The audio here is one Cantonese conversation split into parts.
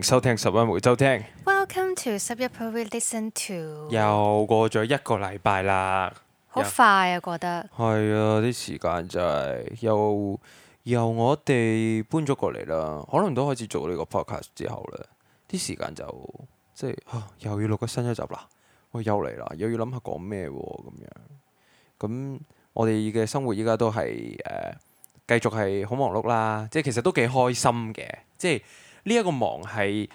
迎收聽11每週聽。Welcome to 11 per listen to。又過咗一個禮拜啦，好快啊，覺得。係啊，啲時間就係由我哋搬咗過嚟啦，可能都開始做呢個 podcast 之後咧，啲時間就即係又要錄個新一集啦。喂，又嚟啦，又要諗下講咩喎咁樣。咁我哋嘅生活依家都係繼續係好忙碌啦，即係其實都幾開心嘅，即係呢一個忙係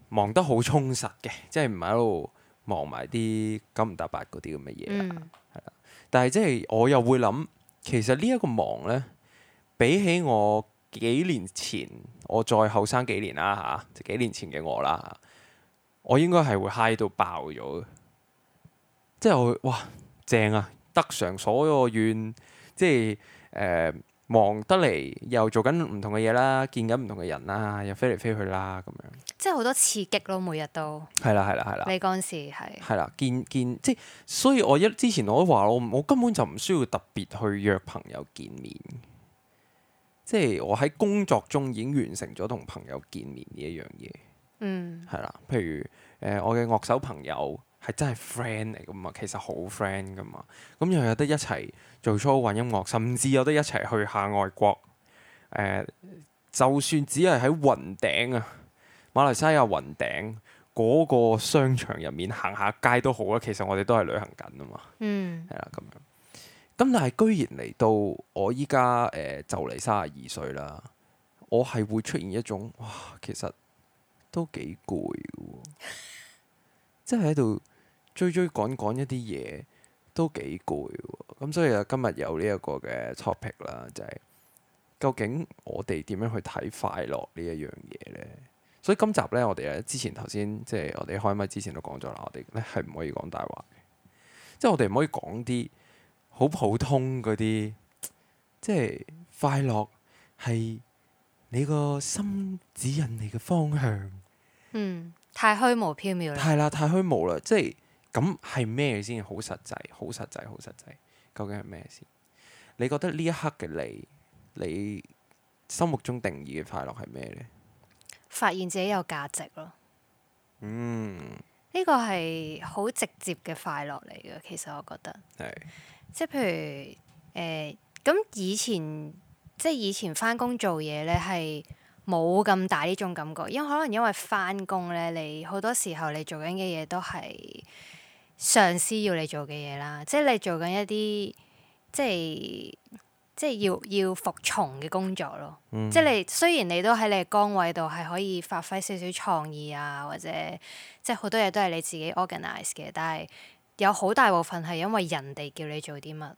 忙得好充實嘅，即係唔係喺度忙埋啲九唔搭八嗰啲咁嘅嘢啦，係啦。但係即係我又會諗，其實呢一個忙呢，比起我幾年前，我再後生幾年啦嚇，即幾年前嘅我啦，我應該係會 high 到爆咗嘅，即係我會哇正啊，得償所有願，即係忙得嚟又做緊唔同嘅嘢啦，見緊唔同嘅人啦，又飛嚟飛去啦咁樣。即係好多刺激咯，每日都。係啦係啦係啦。你嗰陣時係。係啦，見即係，所以我之前我都話我根本就唔需要特別去約朋友見面，即係我喺工作中已經完成咗同朋友見面呢一樣嘢。係啦，譬如我嘅樂手朋友係真係 friend 嚟噶嘛，其實好 friend 噶嘛，咁又有得一齊做 show 玩音樂，甚至有得一齊去下外國。就算只係喺雲頂啊，馬來西亞雲頂嗰個商場入面行下街都好啦，其實我哋都係旅行緊啊嘛。係啦咁樣。咁但係居然嚟到我依家就嚟32歲啦，我係會出現一種哇，其實都幾攰喎，即係喺度追趕一啲嘢都幾攰喎。咁所以啊，今日有呢一個嘅 topic 啦，就係究竟我哋點樣去睇快樂呢一樣嘢呢？所以今集呢，我哋之前頭先即係我哋開麥之前都講咗啦，我哋咧係唔可以講大話嘅，即係我哋唔可以講啲好普通嗰啲，即係快樂係你個心指引你嘅方向。太虛無縹緲啦。係啦，太虛無啦，即係咁係咩先？好實際，好實際，好實際。究竟係咩先？你覺得呢一刻嘅你心目中定義嘅快樂係咩呢？發現自己有價值咯。呢個係好直接嘅快樂嚟嘅，其實我覺得。係。即係譬如咁以前返工做嘢咧係冇咁大呢種感覺，因為返工咧，你好多時候你做緊嘅嘢都係上司要你做嘅嘢啦，即係你做緊一啲即係要服從嘅工作咯。即係你雖然你都喺你嘅崗位度係可以發揮少少創意啊，或者即係好多嘢都係你自己 organize 嘅，但係有好大部分係因為人哋叫你做啲乜。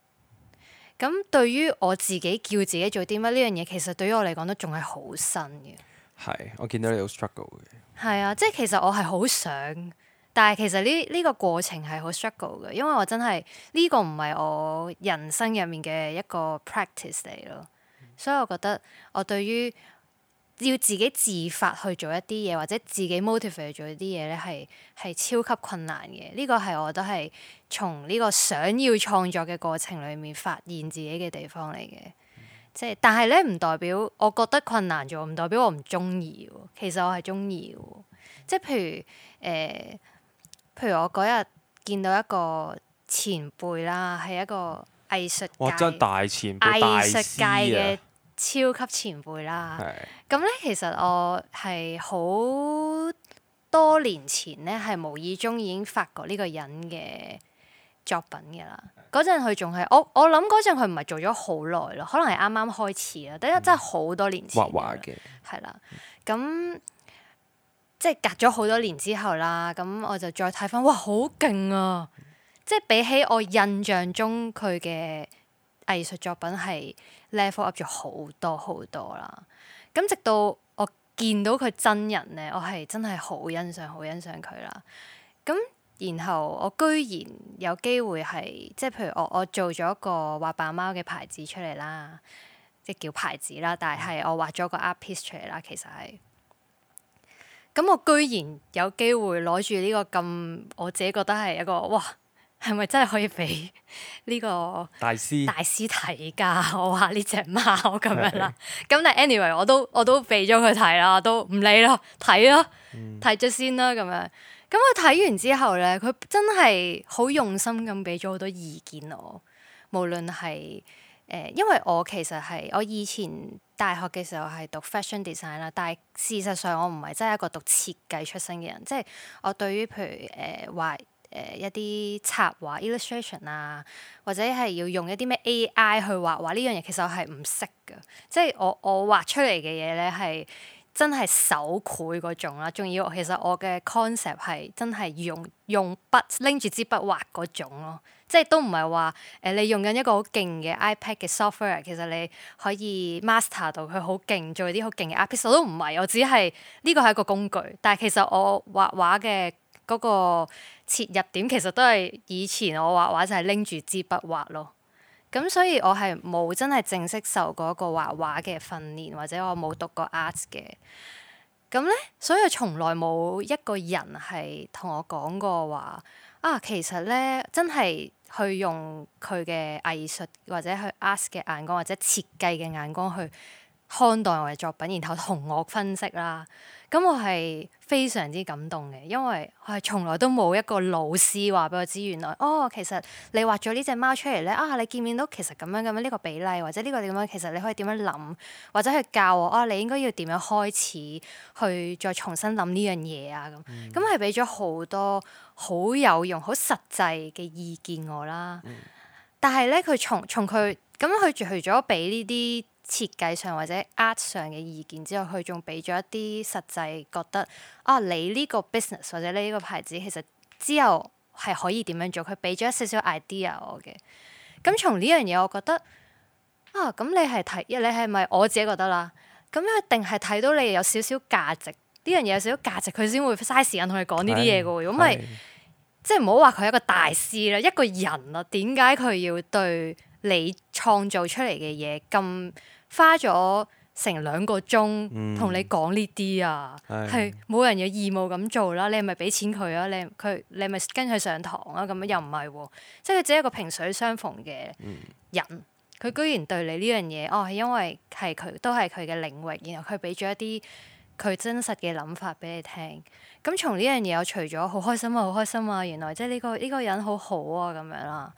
咁對於我自己叫自己做啲乜呢樣嘢，其實對於我嚟講都仲係好新嘅。係，我見到你好 struggle 嘅。係啊，即係其實我係好想，但係其實呢個過程係好 struggle 嘅，因為我真係呢個唔係我人生入面嘅一個 practice 嚟咯。所以我覺得我對於要自己自發去做一啲嘢，或者自己 motivate 去做一啲嘢咧，係超級困難嘅。呢個係我覺得係從呢個想要創作嘅過程裏面發現自己嘅地方嚟嘅。即係，但係咧唔代表我覺得困難咗，唔代表我唔中意喎。其實我係中意嘅。即係譬如我嗰日見到一個前輩啦，係一個藝術界，哇！真係大前輩，藝術界嘅大超級前輩啦。師啊。咁咧，其實我係好多年前咧，係無意中已經發覺呢個人嘅作品嘅啦。嗰陣佢仲係我諗嗰陣佢唔係做咗好耐咯，可能係啱啱開始啦。但係真係好多年前畫畫嘅。係啦，咁即係隔咗好多年之後啦，咁我就再睇翻，哇，好勁啊！即係比起我印象中佢嘅藝術作品係 level up 咗好多好多啦。咁直到我見到佢真人咧，我係真係好欣賞佢啦。咁然後我居然有機會係即係譬如我做咗個畫扮貓嘅牌子出嚟啦，即係叫牌子啦，但係我畫咗個 art piece 出嚟啦，其實係。咁我居然有機會攞住呢個咁，我自己覺得係一個哇係咪真係可以俾呢個大師大師睇㗎？我話呢只貓咁樣啦。咁但係 anyway 我都俾咗佢睇啦，都唔理啦，睇啦，睇咗先啦咁樣。咁佢睇完之後咧，佢真係好用心咁俾咗好多意見我，無論係因為我其實係我以前大學嘅時候係讀 fashion design 啦，但係事實上我唔係真係一個讀設計出身嘅人，即係我對於譬如畫一啲插畫 illustration 啊，或者係要用一啲咩 AI 去畫畫呢樣嘢，其實我係唔識㗎，即係我畫出嚟嘅嘢咧係真係手繪嗰種啦，仲要其實我嘅 concept 係真係用筆拎住支筆畫嗰種咯，即係都唔係話你用緊一個好勁嘅 iPad 嘅 software，其實你可以 master 到佢好勁，做啲好勁嘅 artist，我都唔係，我只係呢個係一個工具，但係其實我畫畫嘅嗰個切入點其實都係以前我畫畫就係拎住支筆畫咯。咁所以我係冇真係正式受過一個畫畫嘅訓練，或者我冇讀過 art 嘅。咁咧，所以從來冇一個人係同我講過話啊，其實咧真係去用佢嘅藝術或者去 art 嘅眼光或者設計嘅眼光去看待我嘅作品，然後同我分析啦。咁我係非常之感動嘅，因為我係從來都冇一個老師話俾我知，原來其實你畫咗呢隻貓出嚟咧你見唔見到其實咁樣呢個比例，或者呢個點樣，其實你可以點樣諗，或者去教我你應該要點樣開始去再重新諗呢樣嘢啊咁。咁係俾咗好多好有用、好實際嘅意見我啦。但係咧，佢從佢咁佢除咗俾呢啲設計上或者 art 上嘅意見之後，佢仲俾咗一啲實際覺得你呢個 business 或者你呢個牌子其實之後係可以點樣做，佢俾咗一少少 idea 我嘅。咁從呢樣嘢，我覺得咁你係咪我自己覺得啦？咁一定係睇到你有少少價值，呢樣嘢有少少價值，佢先會嘥時間同你講呢啲嘢嘅喎。如果唔係，即係唔好話佢係一個大師啦，一個人啊，點解佢要對你創造出嚟嘅嘢咁花咗成2個鐘同你講呢啲啊？係冇人有義務咁做啦，你係咪俾錢佢啊？你係咪跟佢上堂啊？咁樣又唔係喎，即係佢只係一個萍水相逢嘅人，佢居然對你呢樣嘢係因為係佢都係佢嘅領域，然後佢俾咗一啲佢真實嘅諗法俾你聽。咁從呢樣嘢，我除咗好開心啊，好開心啊！原來即係呢個人好好啊咁樣啦，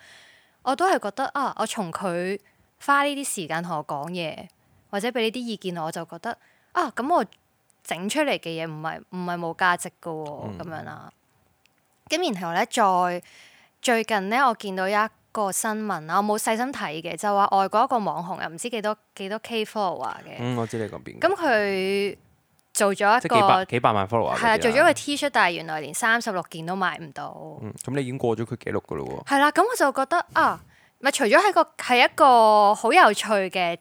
我都係覺得我從佢花呢啲時間同我講嘢，或者俾呢啲意見我就覺得咁我整出嚟嘅嘢唔係冇價值噶喎咁樣啦。咁然後咧，最近咧，我見到一個新聞啦，我冇細心睇嘅，就話外國一個網紅又唔知幾多 K follower 嘅。我知你講邊。咁佢做咗一個幾百萬 follower。係啦，做咗個 T 恤，但係原來連36件都賣唔到。咁你已經過咗佢記錄噶咯喎。係啦，咁我就覺得咪除咗係一個好有趣嘅，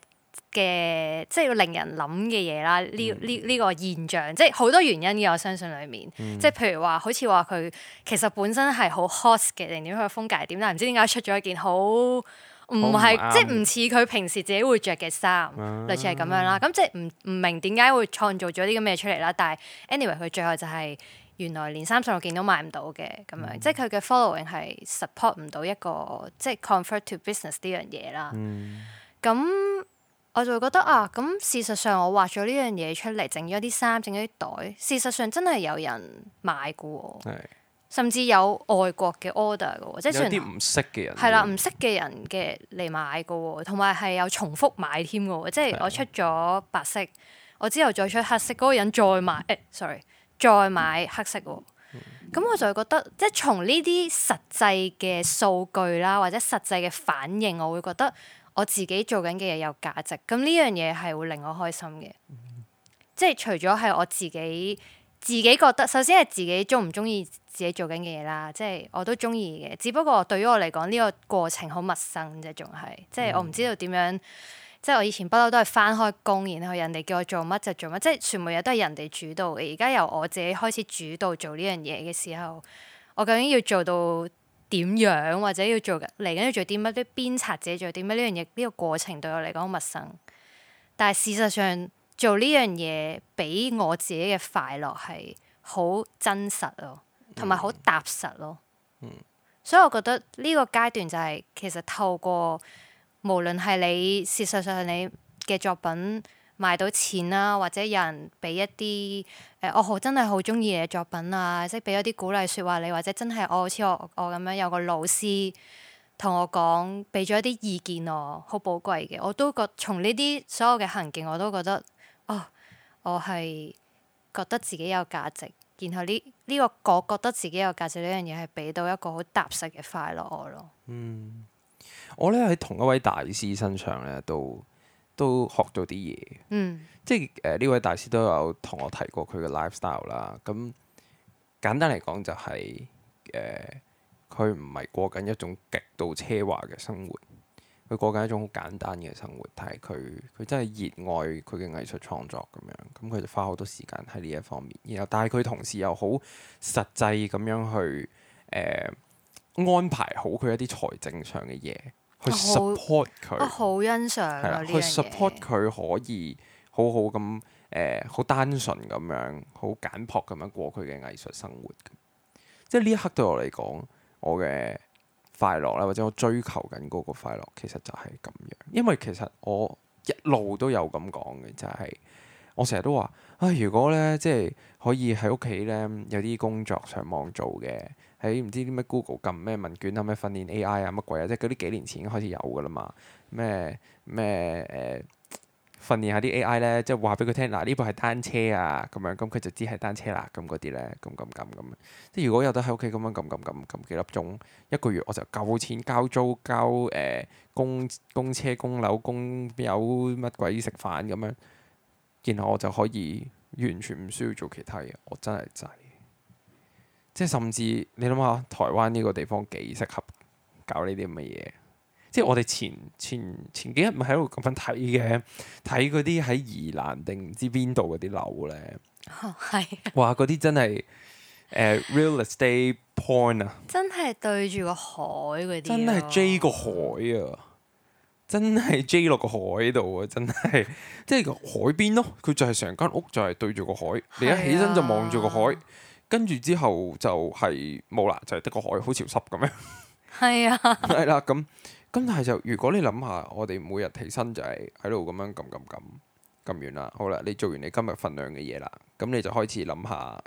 即係要令人諗嘅嘢啦。呢個現象，即係好多原因嘅，我相信裡面。即係譬如話，好似話佢其實本身係好 hot 嘅，定點佢嘅風格係點，但係唔知點解出咗一件好唔係，即係唔似佢平時自己會着嘅衫，類似係咁樣啦。咁即係唔明點解會創造咗啲咁嘅嘢出嚟啦。但係 anyway，佢最後就係原來連36件都賣唔到嘅咁樣，即係佢嘅 following 係 support 唔到一個即係 convert to business 呢樣嘢啦。咁我就會覺得咁事實上我畫咗呢樣嘢出嚟，整咗啲衫，整咗啲袋，事實上真係有人買嘅喎。甚至有外國嘅 order 嘅喎，即係有啲唔識嘅人。係啦，唔識嘅人嘅嚟買嘅喎，同埋係有重複買添嘅喎，即係我出咗白色，我之後再出黑色，嗰個人再買再買黑色喎。咁我就會覺得，即係從呢啲實際嘅數據啦，或者實際嘅反應，我會覺得我自己做緊嘅嘢有價值。咁呢樣嘢係會令我開心嘅。即係除咗係我自己覺得，首先係自己中唔中意自己做緊嘅嘢啦，即係我都中意嘅。只不過對於我嚟講，呢個過程好陌生啫，仲係即係我唔知道點樣。即係我以前不嬲都係返開工，然後人哋叫我做乜就做乜，即係全部嘢都係人哋主導嘅。而家由我自己開始主導做呢樣嘢嘅時候，我究竟要做到點樣，或者要做嚟緊要做啲乜，啲鞭策自己做啲乜，呢樣嘢呢個過程對我嚟講好陌生。但係事實上做呢樣嘢俾我自己嘅快樂係好真實咯，同埋好踏實咯。所以我覺得呢個階段就係其實透過無論係你事實上你嘅作品賣到錢啦，或者有人俾一啲我真係好中意你嘅作品啊，即係俾一啲鼓勵説話你，或者真係好似我咁樣有個老師同我講，俾咗一啲意見我，好寶貴嘅。我都覺從呢啲所有嘅行徑，我都覺得我係覺得自己有價值。然後呢個我覺得自己有價值呢樣嘢係俾到一個好踏實嘅快樂我咯。我咧喺同一位大師身上咧，都學到啲嘢。即係呢位大師都有同我提過佢嘅 lifestyle 啦。咁簡單嚟講就係佢唔係過緊一種極度奢華嘅生活，佢過緊一種好簡單嘅生活。但係佢真係熱愛佢嘅藝術創作咁樣，咁佢就花好多時間喺呢一方面。然後但係佢同時又好實際咁樣去安排好佢一啲財政上嘅嘢，去 support 佢。我好欣賞啊呢樣嘢。去 support 佢可以好好咁好單純咁樣，好簡樸咁樣過佢嘅藝術生活。即係呢一刻對我嚟講，我嘅快樂啦，或者我追求緊嗰個快樂，其實就係咁樣。因為其實我一路都有咁講嘅，就係我成日都話如果咧即係可以喺屋企咧有啲工作上網做嘅，喺唔知啲咩 Google 撳咩問卷啊，咩訓練 AI 啊乜鬼啊，即係嗰啲幾年前已經開始有噶啦嘛。訓練下啲 AI 咧，即係話俾佢聽嗱，呢部係單車啊咁樣，咁佢就知係單車啦。咁嗰啲咧，咁即係如果有得喺屋企咁樣撳幾粒鐘，一個月我就夠錢交租、交供車、供樓、供有乜鬼食飯咁樣，然後我就可以完全唔需要做其他嘢。我真係滯，即係甚至你諗下，台灣呢個地方幾適合搞呢啲咁嘅嘢。即係我哋前幾日咪喺度咁樣睇嘅，睇嗰啲喺宜蘭定唔知邊度嗰啲樓咧，哇！嗰啲真係real estate porn 啊，真係對住個海嗰啲，真係 J 個海啊，真係 J 落個海度啊，真係即係個海邊咯。佢就係成間屋就係對住個海，你一起身就望住個海，跟住之後就係冇啦，就係得個海好潮濕咁樣。係啊，係啦咁。咁但係就如果你諗下，我哋每日起身就係喺度咁樣撳完啦，好啦，你做完你今日份量嘅嘢啦，咁你就開始諗下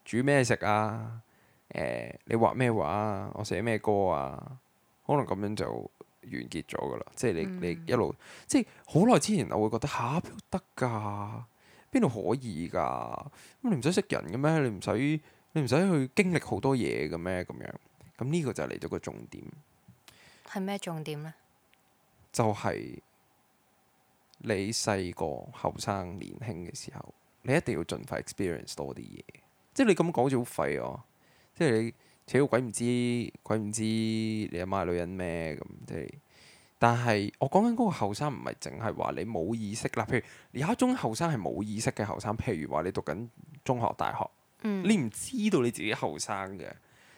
煮咩食啊，你畫咩畫啊，我寫咩歌啊，可能咁樣就完結咗噶啦。即係你一路即係好耐之前，我會覺得邊度得㗎，邊度可以㗎？咁你唔使識人嘅咩？你唔使去經歷好多嘢嘅咩？咁樣咁呢個就嚟到個重點。係咩重點呢？就係你細個後生年輕嘅時候，你一定要盡快 experience 多啲嘢。即係你咁講好似好廢哦。即係你扯到鬼唔知你阿媽係女人咩咁？即係，但係我講緊嗰個後生唔係淨係話你冇意識啦。譬如有一種後生係冇意識嘅後生，譬如話你讀緊中學、大學，你唔知道你自己後生嘅。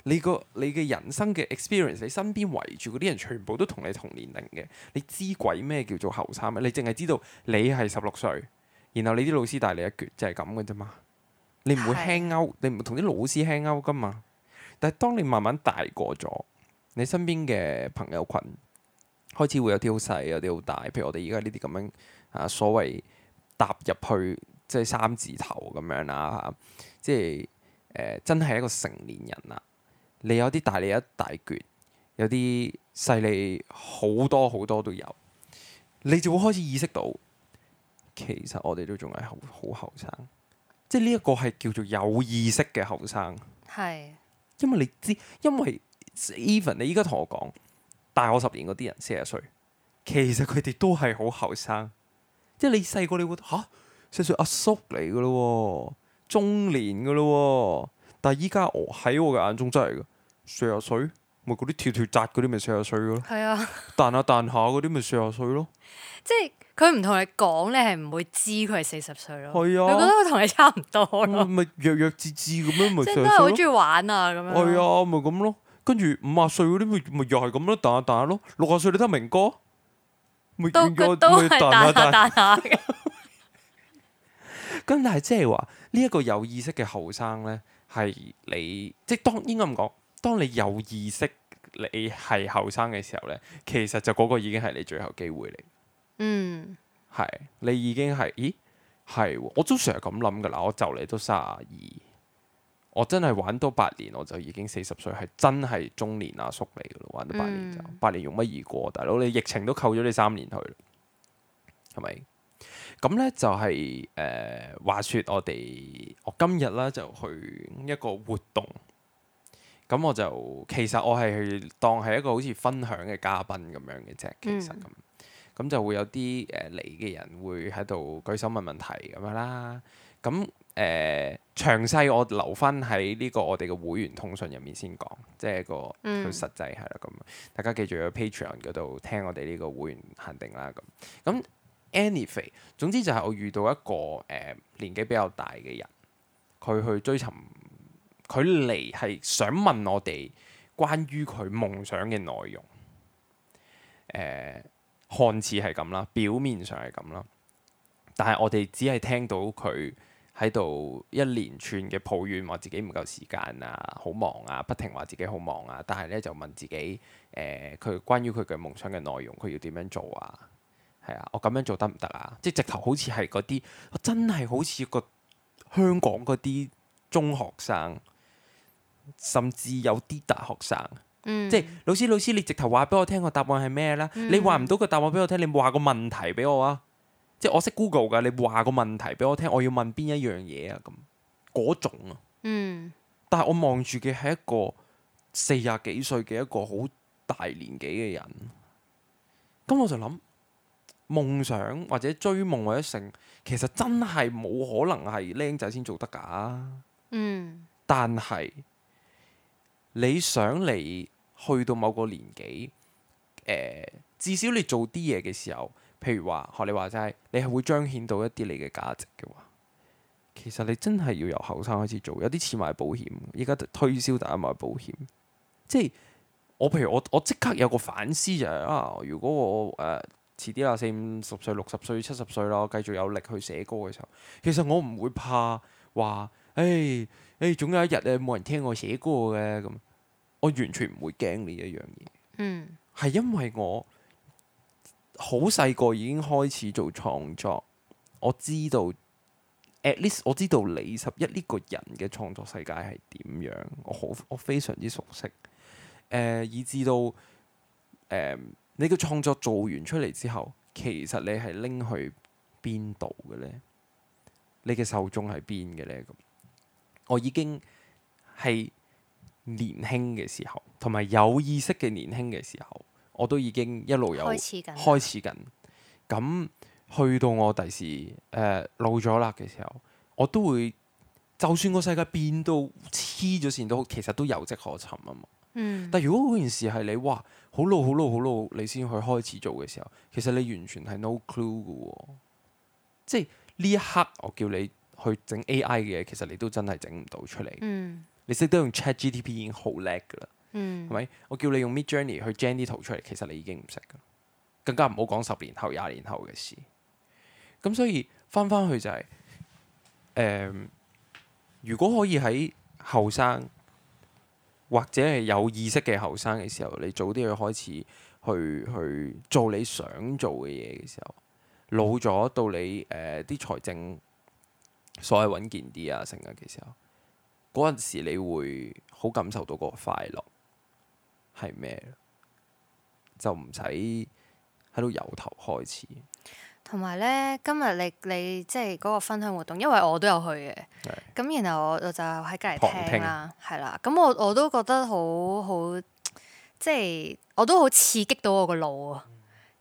你嘅人生嘅 experience，你身邊圍住嗰啲人全部都同你同年齡嘅，你知鬼咩叫做後生咩？你淨係知道你係16歲，然後你啲老師大你一橛，就係咁嘅啫嘛。你唔會 hang out，你唔會同啲老師 hang out 噶嘛。但係當你慢慢大個咗，你身邊嘅朋友群開始會有啲好細，有啲好大。譬如我哋而家呢啲咁樣所謂踏入去即係3字頭咁樣啦，即係真係一個成年人啦。你有啲大你一大橛，有啲細你好多好多都有，你就會開始意識到，其實我哋都仲係好後生，即係呢一個係叫做有意識嘅後生。係，因為你知，因為 even 你依家同我講大我10年嗰啲人40歲，其實佢哋都係好後生。即係你細個你會40歲阿叔嚟噶咯，中年噶咯，但係依家我喺我嘅眼中真係噶。40歲，咪嗰啲跳跳紮嗰啲咪40歲咯。係啊，彈下彈下嗰啲咪40歲咯。即係佢唔同你講，你係唔會知佢係40歲咯。係啊，你覺得佢同你差唔多咯。咪弱智智咁樣咪40歲咯。即係都係好中意玩啊咁樣。係啊，咪咁咯。跟住50歲嗰啲咪又係咁咯，彈下彈下咯。60歲你得明哥，咪都係彈下彈下嘅。咁但係即係話呢一個有意識嘅後生咧，係你即係應該咁講。當你有意識你係後生嘅時候呢，其實就嗰個已經係你最後機會嚟。嗯係你已經係，咦係喎，我都成日咁諗㗎啦。我就嚟都32，我真係玩多8年我就已經40歲，係真係中年阿叔嚟㗎咯。玩多8年就8年容乜易過，大佬你疫情都扣咗你3年去啦，係咪？咁呢就係、話說我今日咧就去一個活動，咁我就其實我係當係一個好似分享嘅嘉賓咁樣嘅啫，其實咁就會有啲嚟嘅人會喺度舉手問問題咁樣啦。咁詳細我留翻喺呢個我哋嘅會員通訊入面先講，即係個佢實際係啦咁。大家記住喺 Patreon 嗰度聽我哋呢個會員限定啦咁。Anyway， 總之就係我遇到一個年紀比較大嘅人，佢去追尋，佢嚟係想問我哋關於佢夢想嘅內容。看似係咁啦，表面上係咁啦，但係我哋只係聽到佢喺度一連串嘅抱怨，話自己唔夠時間啊，好忙啊，不停話自己好忙啊，但係咧就問自己佢關於佢嘅夢想嘅內容，佢要點樣做啊？係啊，我咁樣做得唔得啊？即係直頭好似係嗰啲，真係好似個香港嗰啲中學生，甚至有啲大學生。即係老師，你直頭話俾我聽個答案係咩啦？你話唔到個答案俾我聽，你話個問題俾我啊！即係我識 Google 㗎，你話個問題俾我聽，我要問邊一樣嘢啊？咁嗰種啊。但係我望住嘅係一個40幾歲嘅一個好大年紀嘅人，咁我就諗夢想或者追夢或者成，其實真係冇可能係僆仔先做得㗎。但係你想你去到某個年紀，至少你做啲嘢嘅時候，譬如話學你話齋，你係會彰顯到一啲你嘅價值嘅話，其實你真係要由後生開始做，有啲似買保險，而家推銷大家買保險。即係譬如我即刻有個反思就係如果我遲啲啦，40、50歲、60歲、70歲啦，我繼續有力去寫歌嘅時候，其實我唔會怕話，總有一日冇人聽我寫歌嘅咁。我完全唔會驚呢一樣嘢，係因為我好細個已經開始做創作，我知道 at least 我知道李拾壹呢個人嘅創作世界係點樣，我非常之熟悉，以至到你嘅創作做完出嚟之後，其實你係拎去邊度嘅呢？你嘅受眾係邊嘅呢？咁我已經係年輕嘅時候，同埋有意識嘅年輕嘅時候，我都已經一路有開始緊。咁去到我第時老咗啦嘅時候，我都會，就算個世界變到黐咗線都好，其實都有跡可尋啊嘛。但如果嗰件事係你哇好老，你先去開始做嘅時候，其實你完全係 no clue 嘅喎。即係呢一刻，我叫你去整 AI 嘅嘢，其實你都真係整唔到出嚟。你識得用 ChatGPT 已經好叻㗎啦，係咪？我叫你用 Midjourney 去 gen 啲圖出嚟，其實你已經唔識㗎，更加唔好講10年後、20年後嘅事。咁所以翻去就係如果可以喺後生或者係有意識嘅後生嘅時候，你早啲去開始去做你想做嘅嘢嘅時候，老咗到你啲財政所謂穩健啲啊成日嘅時候，嗰陣時你會好感受到嗰個快樂係咩？就唔使喺度由頭開始。同埋咧，今日你即係嗰個分享活動，因為我都有去嘅，咁然後我就喺隔離聽啦，係啦，咁我都覺得好，即係我都好刺激到我個腦啊！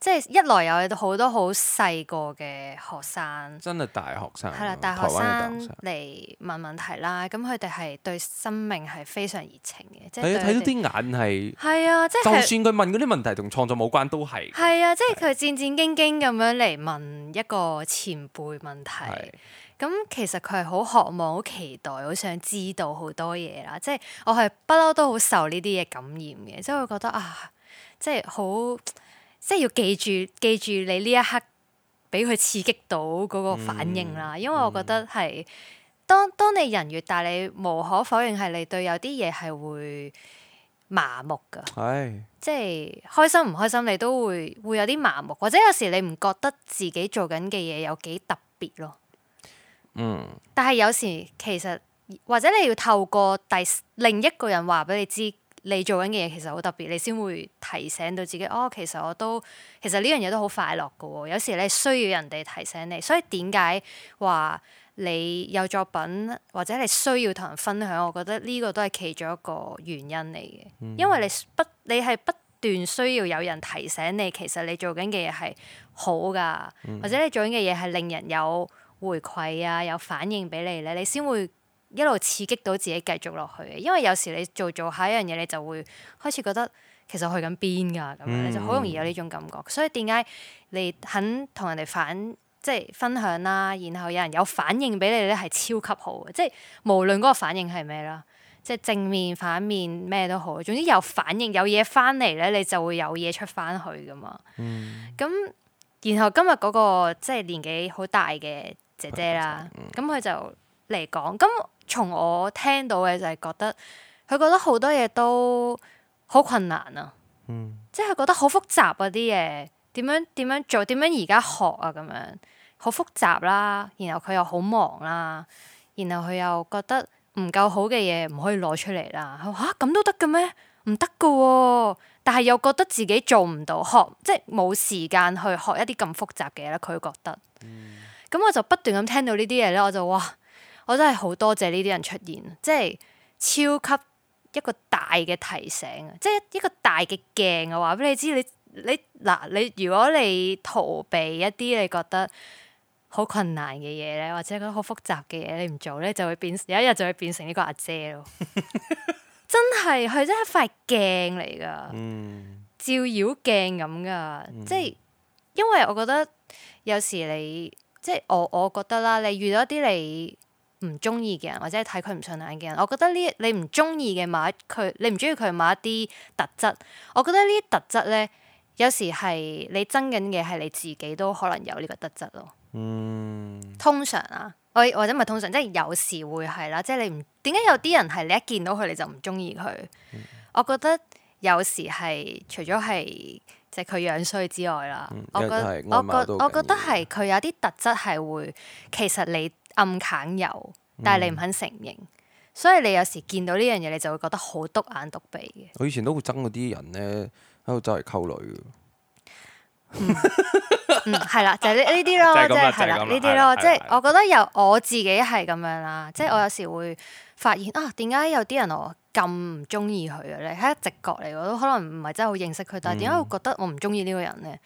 即係一來有好多好細個嘅學生，真係大學生，係啦，大學生嚟問問題啦，咁佢哋係對生命係非常熱情嘅，即係睇到啲眼係啊，即係就算佢問嗰啲問題同創作冇關，都係啊，即係佢戰戰兢兢咁樣嚟問一個前輩問題，咁其實佢係好渴望、好期待、好想知道好多嘢啦。即係我係不嬲都好受呢啲嘢感染嘅，即係會覺得即係好。即係要記住你呢一刻俾佢刺激到嗰個反應啦，因為我覺得係當你人越大，你無可否認係你對有啲嘢係會麻木㗎。係即係開心唔開心，你都會有啲麻木，或者有時你唔覺得自己做緊嘅嘢有幾特別咯。但係有時其實或者你要透過另一個人話俾你知，你做緊嘅嘢其實好特別，你先會提醒到自己。哦，其實呢樣嘢都好快樂㗎喎。有時你需要人哋提醒你，所以點解話你有作品或者你需要同人分享？我覺得呢個都係其中一個原因嚟嘅，因為你係不斷需要有人提醒你，其實你做緊嘅嘢係好㗎，或者你做緊嘅嘢係令人有回饋啊，有反應俾你咧，你先會一路刺激到自己繼續落去嘅。因為有時你做下一樣嘢，你就會開始覺得其實我去緊邊㗎咁樣，你就好容易有呢種感覺。所以點解你肯同人哋即係分享啦，然後有人有反應俾你咧，係超級好嘅。即係無論嗰個反應係咩啦，即係正面、反面咩都好，總之有反應、有嘢翻嚟咧，你就會有嘢出翻去噶嘛。咁然後今日嗰個即係年紀好大嘅姐姐啦，咁佢就嚟講，咁從我聽到嘅就係覺得佢覺得好多嘢都好困難啊，即係佢覺得好複雜啊啲嘢，點樣做，點樣而家學啊咁樣，好複雜啦，然後佢又好忙啦，然後佢又覺得唔夠好嘅嘢唔可以攞出嚟啦，佢話嚇咁都得嘅咩？唔得㗎喎，但係又覺得自己做唔到，即係冇時間去學一啲咁複雜嘅嘢咧，佢覺得。咁我就不斷咁聽到呢啲嘢咧，我就哇，我真係好多謝呢啲人出現，即係超級一個大嘅提醒啊！即係一個大嘅鏡啊，話俾你知，你如果你逃避一啲你覺得好困難嘅嘢咧，或者覺得好複雜嘅嘢，你唔做咧，就會有一日就會變成呢個阿姐咯。真係，佢真係一塊鏡嚟噶，照妖鏡咁噶。即係因為我覺得有時你即係我覺得啦，你遇到一啲你唔中意嘅人，或者睇佢唔順眼嘅人，我覺得你唔中意嘅你唔中意佢某一啲特質，我覺得呢啲特質咧，有時係你憎緊嘅係你自己都可能有呢個特質咯。通常啊，或者唔係通常，即係有時會係啦。即係你唔點解有啲人係你一見到佢你就唔中意佢？我覺得有時係除咗係即係佢樣衰之外啦，我覺得係佢有啲特質係會其實你暗砍有，但係你唔肯承認，所以你有時見到呢樣嘢，你就會覺得好篤眼篤鼻嘅。我以前都會憎嗰啲人咧喺度周圍溝女。係啦，就係呢啲咯，即係係啦，呢啲咯，即係我覺得我自己係咁樣啦，即係我有時會發現啊，點解有啲人我咁唔中意佢嘅咧？係一直覺嚟，我都可能唔係真係好認識佢，但係點解會覺得我唔中意呢個人咧？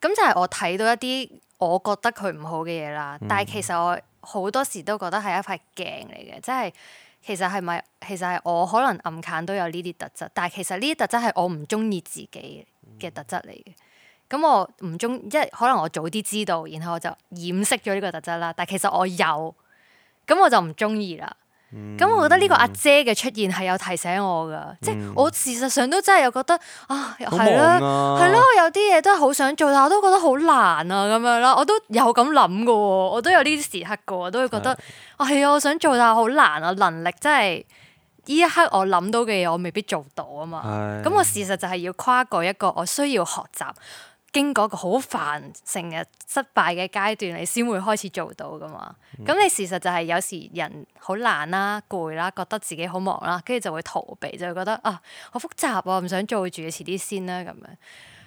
咁就係我睇到一啲我覺得佢唔好嘅嘢啦，但係其實我好多時都覺得係一塊鏡嚟嘅，即係其實係我可能暗揀都有呢啲特質，但係其實呢啲特質係我唔中意自己嘅特質嚟嘅。咁我唔中，即係可能我早啲知道，然後我就掩飾咗呢個特質啦。但係其實我有，咁我就唔中意啦。咁我覺得呢個阿姐嘅出現係有提醒我噶，即係我事實上都真係有覺得啊，係啦，係咯，有啲嘢都係好想做，但我都覺得好難啊，咁樣啦，我都有咁諗噶，我都有呢啲時刻噶，我都會覺得係啊，我想做但係好難啊，能力真係呢一刻我諗到嘅嘢，我未必做到啊嘛。咁我事實就係要跨過一個我需要學習。經過一個好煩成日失敗嘅階段，你先會開始做到噶嘛？咁你事實就係有時人好懶啦、攰啦，覺得自己好忙啦，跟住就會逃避，就會覺得啊好複雜啊，唔想做住，遲啲先啦咁樣。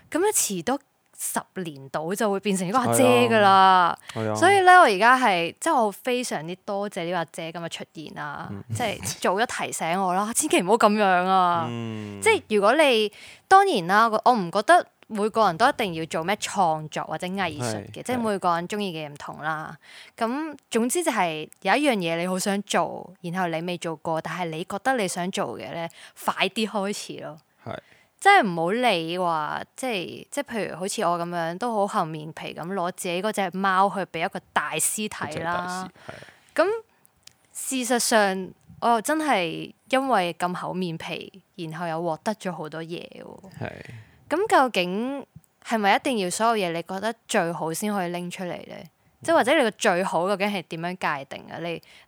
咁樣遲多10年到就會變成一個阿姐噶啦。所以咧，我而家係即係我非常之多謝呢個阿姐咁嘅出現啦，即係早咗提醒我啦，千祈唔好咁樣啊！即係如果你當然啦，我唔覺得。每個人都一定要做咩創作或者藝術嘅，即係每個人中意嘅嘢唔同啦。咁總之就係有一樣嘢你好想做，然後你未做過，但係你覺得你想做嘅咧，快啲開始咯。即係唔好理話，即係譬如好似我咁樣，都好厚面皮咁攞自己嗰隻貓去俾一個大師睇啦。咁事實上，我又真係因為咁厚面皮，然後又獲得咗好多嘢喎。咁究竟係咪一定要所有嘢你覺得最好先可以拎出嚟咧？即係或者你個最好究竟係點樣界定啊？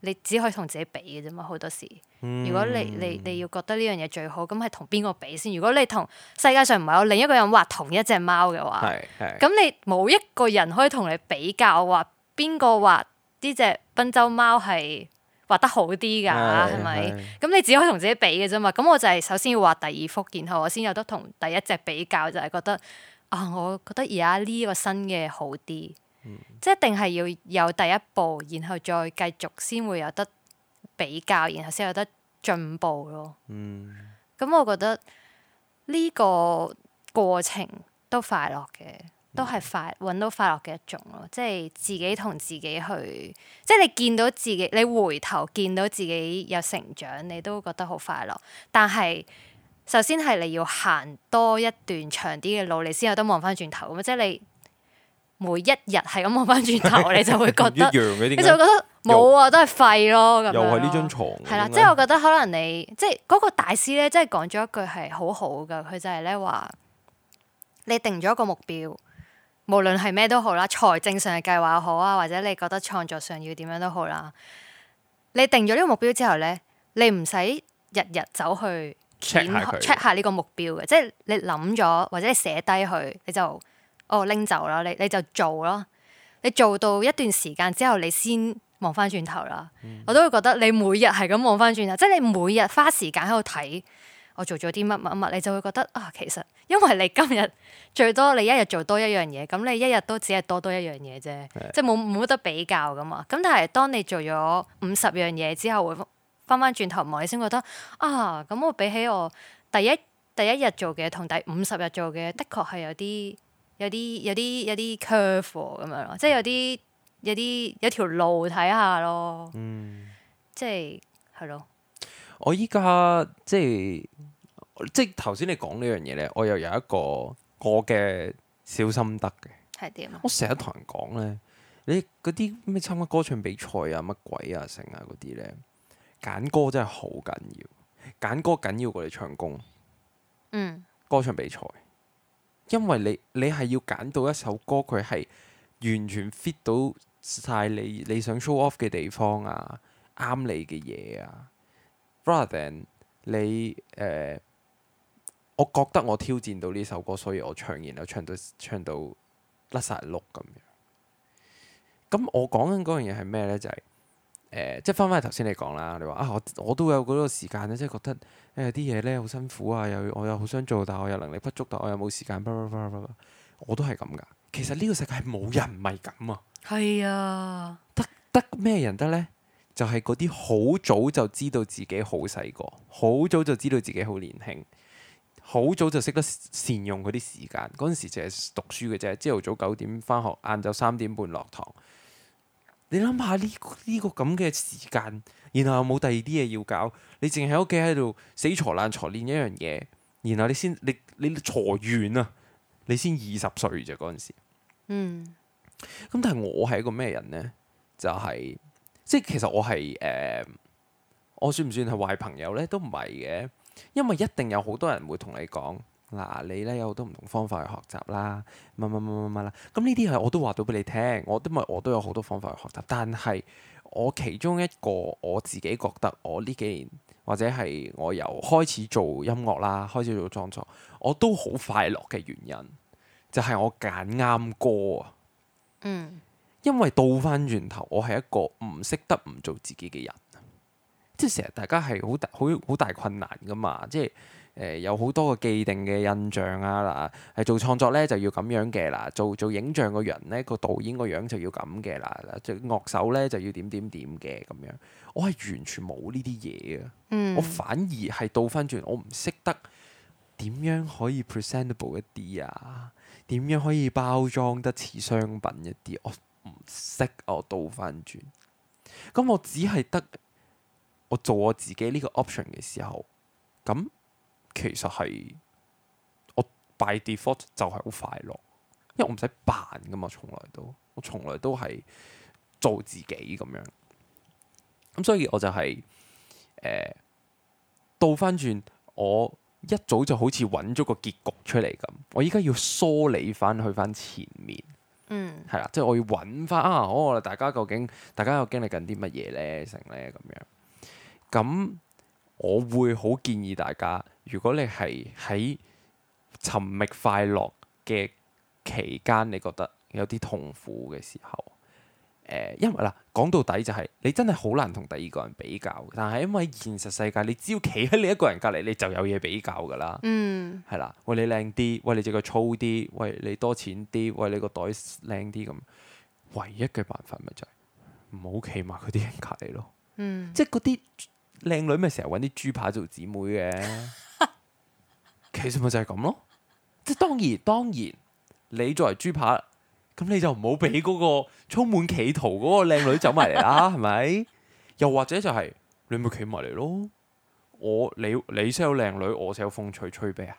你只可以同自己比嘅啫嘛，好多時。如果你要覺得呢樣嘢最好，咁係同邊個比先？如果你同世界上唔係有另一個人畫同一隻貓嘅話，咁你冇一個人可以同你比較話邊個畫呢隻賓州貓係畫得好啲㗎，係咪？咁你只可以同自己比嘅啫嘛。咁我就係首先要畫第二幅，然後我先有得同第一隻比較，就係覺得我覺得而家呢個新嘅好啲。即係一定係要有第一步，然後再繼續先會有得比較，然後先有得進步咯。咁我覺得呢個過程都快樂嘅，都係揾到快樂嘅一種咯。即係自己同自己去，即係你見到自己，你回頭見到自己有成長，你都覺得好快樂。但係首先係你要行多一段長啲嘅路，你先有得望翻轉頭。咁即係你每一日係咁望翻轉頭，你就會覺得，你就會覺得冇啊，都係廢咯咁樣。又係呢張床。係啦，即係我覺得可能你即係嗰個大師咧，即係講咗一句係好好噶。佢就係咧話，你定咗一個目標，無論係咩都好啦，財政上嘅計劃好啊，或者你覺得創作上要點樣都好啦。你定咗呢個目標之後咧，你唔使日日走去 check 下呢個目標嘅，即係你諗咗或者你寫低佢，你就拎走啦，你就做咯。你做到一段時間之後，你先望翻轉頭啦。我都會覺得你每日係咁望翻轉頭，即係你每日花時間喺度睇我做咗啲乜乜乜，你就會覺得其實因為你今日最多你一日做多一樣嘢，咁你一日都只係多一樣嘢啫，即係冇得比較噶嘛。咁但係當你做咗50樣嘢之後，會翻翻轉頭望，你先覺得咁我比起我第一日做嘅同第50日做嘅，的確係有啲 curve 咁樣咯，即係有條路睇下咯，即係咯。我依家即係頭先你講呢樣嘢咧，我又有一個我嘅小心得嘅。係點啊？我成日同人講咧，你嗰啲咩參加歌唱比賽啊、乜鬼啊、成啊嗰啲咧，揀歌真係好緊要，揀歌緊要過你唱功。歌唱比賽。因為你係要揀到一首歌，佢係完全 fit 到晒你想 show off 嘅地方啊，啱你嘅嘢啊。Rather than 你我覺得我挑戰到呢首歌，所以我唱，然後唱到甩晒碌咁樣。咁我講緊嗰樣嘢係咩呢？就係即係翻返去頭先你講啦，你話我都有嗰個時間咧，即係覺得啲嘢咧好辛苦啊，我又好想做，但係我又能力不足，但我又冇時間，我都係咁噶。其實呢個世界係冇人唔係咁啊。係啊，得咩人得呢？就係嗰啲好早就知道自己好細個，好早就知道自己好年輕，好早就識得善用嗰啲時間。嗰陣時淨係讀書嘅啫，朝頭早9點返學，晏晝3點半落堂。你諗下呢個咁嘅時間，然後又冇第二啲嘢要搞，你淨係喺屋企喺度死嘈爛嘈練一樣嘢，然後你嘈完啊，你先20歲啫嗰陣時。咁但係我係一個咩人呢？就係即係其實我係我算唔算係壞朋友呢？都唔係嘅，因為一定有好多人會同你講。嗱，你咧有好多唔同方法去學習啦，乜啦。咁呢啲係我都話到俾你聽，我都有好多方法去學習。但係我其中一個我自己覺得，我呢幾年或者係我由開始做音樂啦，開始做創作，我都好快樂嘅原因，就係我揀啱歌啊。因為倒翻轉頭，我係一個唔識得唔做自己嘅人，即係成日大家係好大困難噶嘛，即係。有好多個既定嘅印象啊！嗱，係做創作咧就要咁樣嘅啦，做影像個人咧個導演個樣就要咁嘅啦，做樂手咧就要點嘅咁樣。我係完全冇呢啲嘢啊！我反而係倒翻轉，我唔識得點樣可以 presentable 一啲啊，點樣可以包裝得似商品一啲，我唔識啊！我倒翻轉，咁我只係得我做我自己呢個 option 嘅時候，咁。其實係我 by default 就係好快樂，因為我唔使扮噶嘛，我從來都係做自己咁樣。咁所以我就係倒翻轉，我一早就好似揾咗個結局出嚟咁，我依家要梳理翻去翻前面，嗯係啦，即係我要揾翻啊，大家究竟大家又經歷緊啲乜嘢咧？成咧咁樣。咁我會好建議大家，如果你係喺尋覓快樂嘅期間，你覺得有啲痛苦嘅時候，因為嗱講到底就係、你真係好難同第二個人比較，但係因為現實世界，你只要企喺你一個人隔離，你就有嘢比較㗎啦。嗯係啦，喂你靚啲，喂你隻腳粗啲，喂你多錢啲，喂你個袋靚啲咁，唯一嘅辦法咪就係唔好企埋嗰啲人隔離咯。嗯，即係嗰啲靚女咪成日揾啲豬扒做姊妹嘅，其實咪就係咁咯。即係當然，你作為豬扒，咁你就唔好俾嗰個充滿企圖嗰個靚女走埋嚟啦，係咪？又或者就係、你咪企埋嚟咯。你 sell 靚女，我 sell 風趣吹啤啊，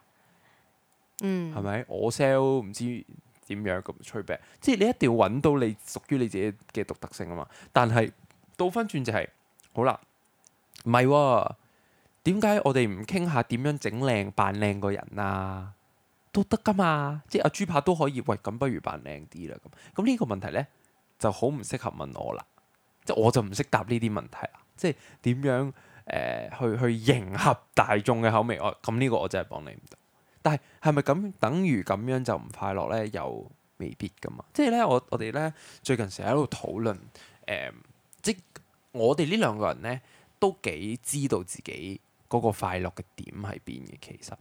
嗯係咪？我 sell 唔知點樣咁吹啤，即係你一定要揾到你屬於你自己嘅獨特性啊嘛。但係倒翻轉就係、好啦，唔係喎，點解我哋唔傾下點樣整靚扮靚個人啊？都得噶嘛，即係阿豬扒都可以。喂，咁不如扮靚啲啦。咁呢個問題呢，就好唔適合問我啦，即係我就唔識答呢啲問題啦。即係點樣去迎合大眾嘅口味？咁呢個我真係幫你唔到。但係係咪咁等於咁樣就唔快樂呢？又未必噶嘛。即係呢，我哋呢，最近成日喺度討論即我哋呢兩個人呢，都幾知道自己嗰個快樂嘅點喺邊嘅。其實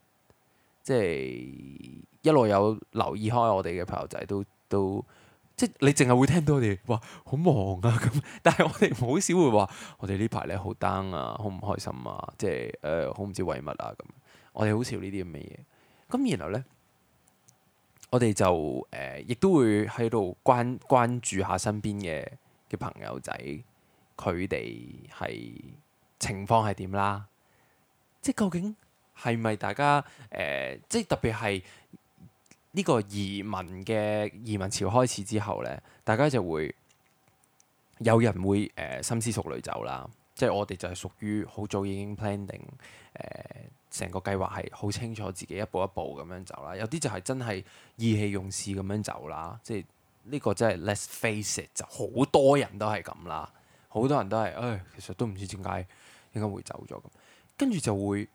即係一路有留意開我哋嘅朋友仔都即係你淨係會聽到我哋話好忙啊咁，但係我哋好少會話我哋呢排咧好 down 啊，好唔開心啊，即係好唔知為乜啊咁。我哋好少呢啲咁嘅嘢。咁然後咧，我哋就亦都會喺度關注下身邊嘅朋友仔，佢哋係情況係點啦？即係究竟係咪大家即係特別係呢個移民潮開始之後呢，大家就會有人會深思熟慮走啦。即係我哋就係屬於好早已經 plan 定成個計劃係好清楚自己一步一步咁樣走啦。有啲就係真係意氣用事咁樣走啦。即係呢個真係 let's face it，就好多人都係咁啦。好多人都係其實都唔知點解會走咗咁，跟住就會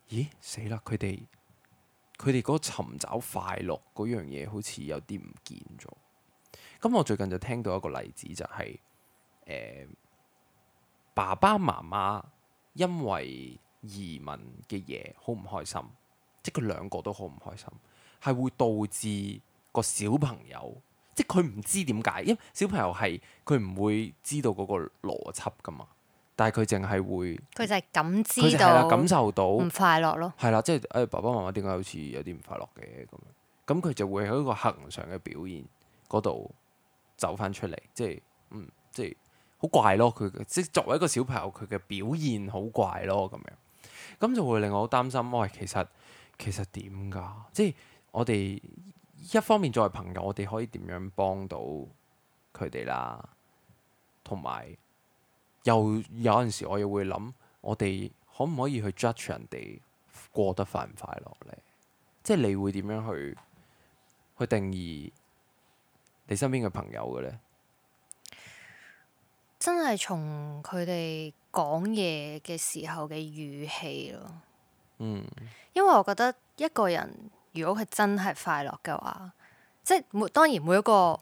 咦死啦！佢哋嗰個尋找快樂嗰樣嘢好似有啲唔見咗。咁我最近就聽到一個例子，就係爸爸媽媽因為移民嘅嘢好唔開心，即係佢兩個都好唔開心，係會導致個小朋友，即係佢唔知點解，因為小朋友係佢唔會知道嗰個邏輯噶嘛，但係佢淨係會，佢就係感知佢就係啦，到感受到唔快樂咯。係啦，即係爸爸媽媽點解好似有啲唔快樂嘅咁樣，咁佢就會喺一個恆常嘅表現嗰度走翻出嚟，即係即係好怪咯。佢即係作為一個小朋友，佢嘅表現好怪咯咁樣，咁就會令我好擔心。喂，其實點㗎？即係我哋一方面作為朋友，我哋可以點樣幫到佢哋啦？同埋又有陣時，我又會諗，我哋可唔可以去 judge 人哋過得快唔快樂呢？即係你會點樣去定義你身邊嘅朋友嘅呢？真係從佢哋講嘢嘅時候嘅語氣咯。因為我覺得一個人如果佢真係快樂嘅話，即係當然每一個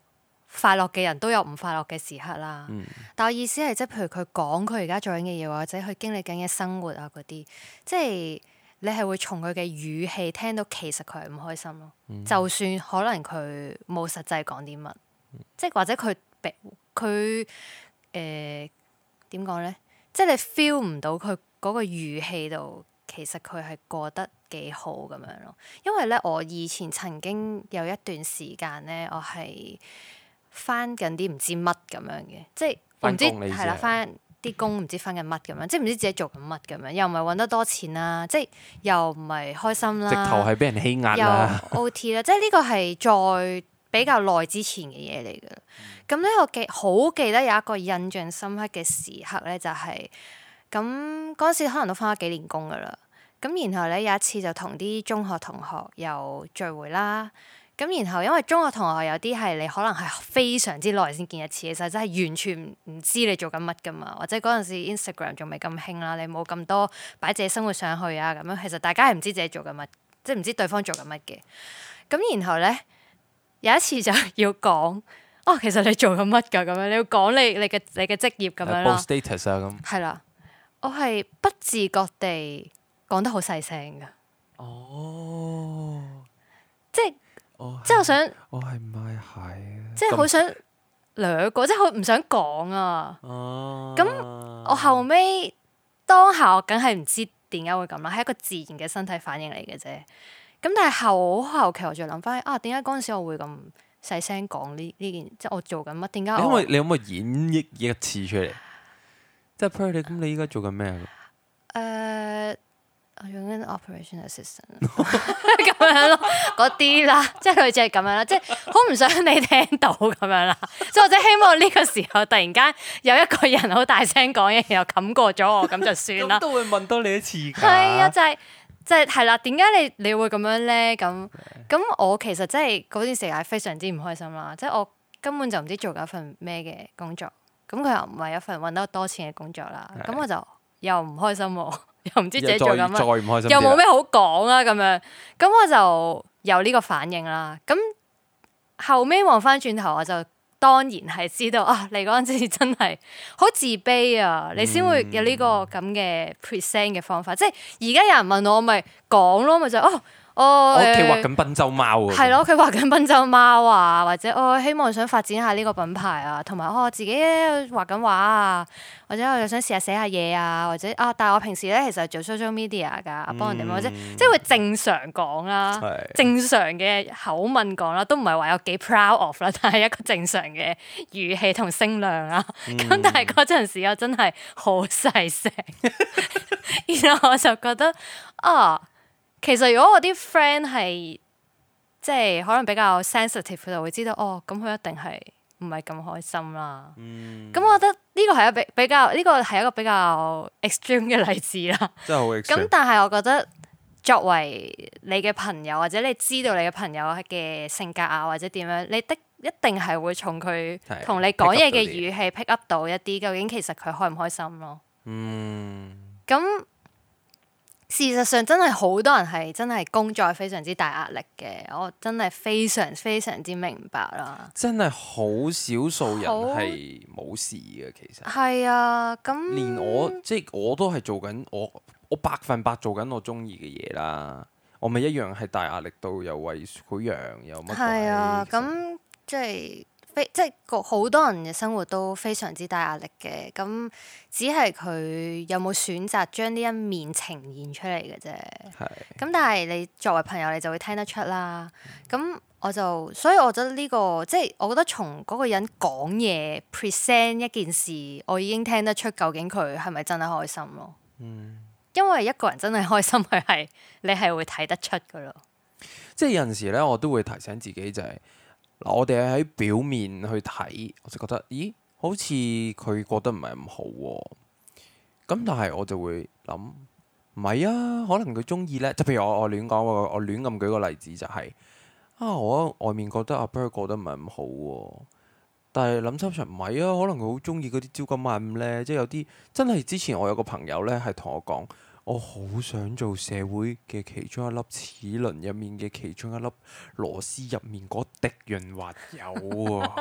快樂嘅人都有唔快樂嘅時刻啦。但我意思係，即係譬如佢講佢而家做緊嘅嘢，或者佢經歷緊嘅生活啊嗰啲，即係你係會從佢嘅語氣聽到其實佢係唔開心咯。就算可能佢冇實際講啲乜，即係或者佢點講呢？即係你 feel 唔到佢嗰個語氣度，其實佢係過得幾好咁樣咯。因為咧，我以前曾經有一段時間咧，我係翻緊啲唔知乜咁樣嘅，即係我唔知係啦，翻啲工唔知翻緊乜咁樣，即係唔知自己做緊乜咁樣，又唔係揾得多錢啦，即係又唔係開心啦，直頭係俾人欺壓啦，又 OT 啦，即係呢個係再比較耐之前嘅嘢嚟㗎。咁咧，我好記得有一個印象深刻嘅時刻咧，就係咁嗰陣時可能都翻咗幾年工㗎啦。咁然後咧，有一次就同啲中學同學又聚會啦。咁然後因為中學同學有啲係你可能係非常之耐先見一次，其實真係完全唔知你做緊乜噶嘛，或者嗰陣時 Instagram 仲未咁興啦，你冇咁多擺自己生活上去啊咁樣，其實大家係唔知自己做緊乜，即係唔知對方做緊乜嘅。咁然後咧有一次就要講。哦，其實你做緊乜㗎？咁樣你要講你嘅職業咁樣啦。報 status 啊咁。係啦，我係不自覺地講得好細聲㗎。哦。即係我想。我係唔係啊？即係好想掠過，即係好唔想講啊。哦。咁我後尾當下我梗係唔知點解會咁啦，係一個自然嘅身體反應嚟嘅啫。咁但係後期我就諗翻啊，點解嗰陣時我會咁細聲講呢件，即係我做緊乜？點解你可唔可以演繹一次出嚟？即係譬如咁，你依家做緊咩啊？我用緊 operation assistant 咁樣咯，嗰啲啦，即係類似係咁樣啦，即係好唔想你聽到咁樣啦。即係我即係希望呢個時候突然間有一個人好大聲講嘢，然後冚過咗我，咁就算啦。咁都會問多你一次㗎。係啊，就係啦。點解你會咁樣咧？咁我其實真係嗰段時間非常之唔開心啦。即係我根本就唔知做緊一份咩嘅工作，咁佢又唔係一份揾得多錢嘅工作啦。咁我就又唔開心喎，又唔知自己做緊乜，再唔開心，又冇咩好講啦咁樣。咁我就有呢個反應啦。咁後尾望翻轉頭，我就當然係知道啊，你嗰陣時真係好自卑啊，你先會有呢個咁嘅 present 嘅方法。即係而家有人問我咪講咯，咪就我屋企畫緊賓州貓喎。係咯，佢畫緊賓州貓啊，或者我希望想發展下呢個品牌啊，同埋我自己畫緊畫啊，或者我又想試下寫下嘢啊，或者但係我平時咧其實做 social media 㗎，幫人哋或者即係會正常講啦，正常嘅口吻講啦，都唔係話有幾 proud of 啦，但係一個正常嘅語氣同聲量啦。咁但係嗰陣時我真係好細聲，然後我就覺得其實如果我啲 friend 係即係可能比較 sensitive，佢就會知道咁佢一定係唔係咁開心啦。咁我覺得呢個係一個比較 extreme 嘅例子啦。真係好 extreme。咁但係我覺得作為你嘅朋友，或者你知道你嘅朋友嘅性格啊，或者點樣，你一定係會從佢同你講嘢嘅語氣 pick up 到一啲究竟其實佢開唔開心咯。咁事實上真係好多人係真係工作非常之大壓力嘅，我真係非常非常之明白啦。真係好少數人係冇事嘅，其實係啊，咁連我都係做緊我100%做緊我中意嘅嘢啦，我咪一樣係大壓力到又為佢養又乜鬼。係啊，咁即係好多人嘅生活都非常之大壓力嘅，咁只係佢有冇選擇將呢一面呈現出嚟嘅啫。咁但係你作為朋友，你就會聽得出啦。咁所以我覺得呢個即係我覺得從嗰個人講嘢 present 一件事，我已經聽得出究竟佢係咪真係開心咯。因為一個人真係開心，你係會睇得出噶咯。即係有陣時咧，我都會提醒自己就係我哋喺表面去睇，我就覺得咦，好似佢覺得唔係咁好喎。咁但係我就會諗，唔係啊，可能佢中意咧。就譬如我亂講，我亂咁舉個例子就係我外面覺得阿 Bird 過得唔係咁好喎。但係諗深層唔係啊，可能佢好中意嗰啲朝九晚五咧，即係有啲真係之前我有個朋友咧係同我講，我好想做社會嘅其中一粒齒輪入面嘅其中一粒螺絲入面嗰滴潤滑油啊！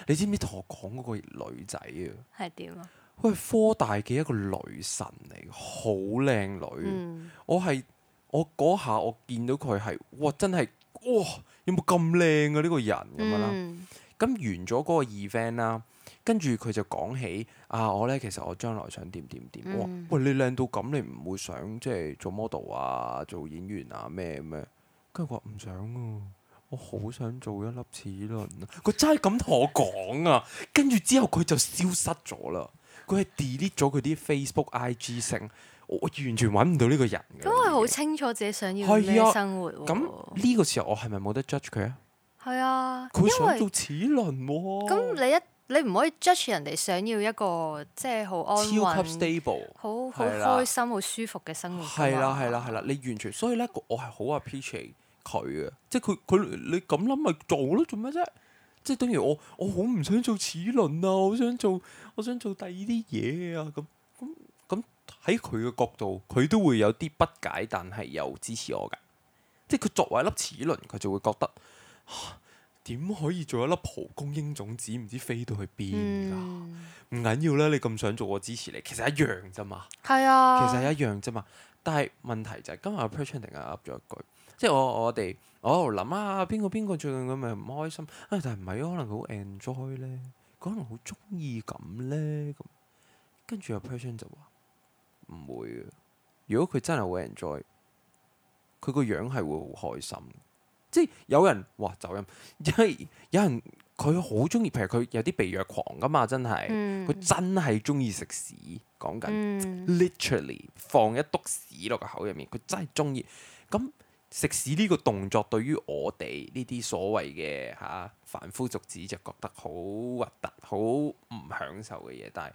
你知唔知同我講嗰個女仔啊？係點啊？佢係科大嘅一個女神嚟，好靚女。我嗰下我見到佢係哇，真係哇，有冇咁靚啊呢個人咁樣啦？咁完咗嗰個 event 啦，跟住佢就講起我咧，其實我將來想點點點。哇，喂，你靚到咁，你唔會想即係做 model 啊，做演員啊咩咩？跟住佢話唔想啊，我好想做一粒齒輪啊！佢真係咁同我講啊，跟住之後佢就消失咗啦，佢係 delete 咗佢啲 Facebook、IG 成，我完全揾唔到呢個人嘅。咁佢好清楚自己想要咩生活喎。咁呢個時候我係咪冇得 judge 佢啊？係啊，佢想做齒輪喎。咁你唔可以 judge 人哋想要一個即係好安穩、超級 stable、好開心、好舒服嘅生活。係啦，你完全所以咧，我係好 appreciate 佢啊，即係佢你咁諗咪做咯，做咩啫？即係等於我好唔想做齒輪啊，我想做第二啲嘢啊，咁喺佢嘅角度，佢都會有啲不解，但係又支持我㗎。即係佢作為一粒齒輪，佢就會覺得點可以做一粒蒲公英種子，唔知飛到去邊㗎？唔緊要啦，你咁想做，我支持你。其實一樣啫嘛，係啊，其實一樣啫嘛。但係問題就係今日 Perchan 突然間噏咗一句，即係我哋我喺度諗啊，邊個最近咁咪唔開心啊？但係唔係可能佢好 enjoy 咧，佢可能好中意咁咧咁。跟住阿 Perchan 就話唔會嘅，如果佢真係好 enjoy，佢個樣係會好開心。即係有人哇走音，因為有人佢好中意，譬如佢有啲被虐狂噶嘛，真係佢真係中意食屎，講緊 literally 放一篤屎落個口入面，佢真係中意。咁食屎呢個動作對於我哋呢啲所謂嘅凡夫俗子就覺得好核突、好唔享受嘅嘢，但係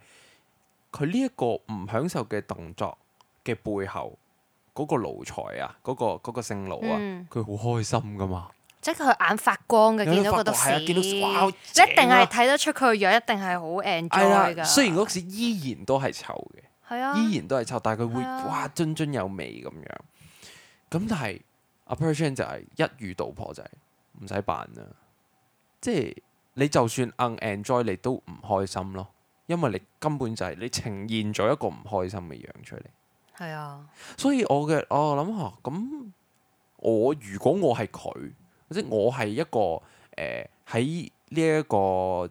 佢呢一個唔享受嘅動作嘅背後，嗰個奴才啊，嗰個姓盧啊，佢好開心噶嘛。即係佢眼發光嘅，見到嗰篤屎，見到哇，你一定係睇得出佢個樣，一定係好 enjoy 㗎。雖然嗰時依然都係臭嘅，係啊，依然都係臭，但係佢會哇津津有味咁樣。咁但係阿 Perchan 就係一語道破，就係唔使扮啦。即係你就算 unenjoy 你都唔開心咯，因為你根本就係你呈現咗一個唔開心嘅樣出嚟。係啊，所以我諗下，咁如果我係佢，或者我係一個喺呢一個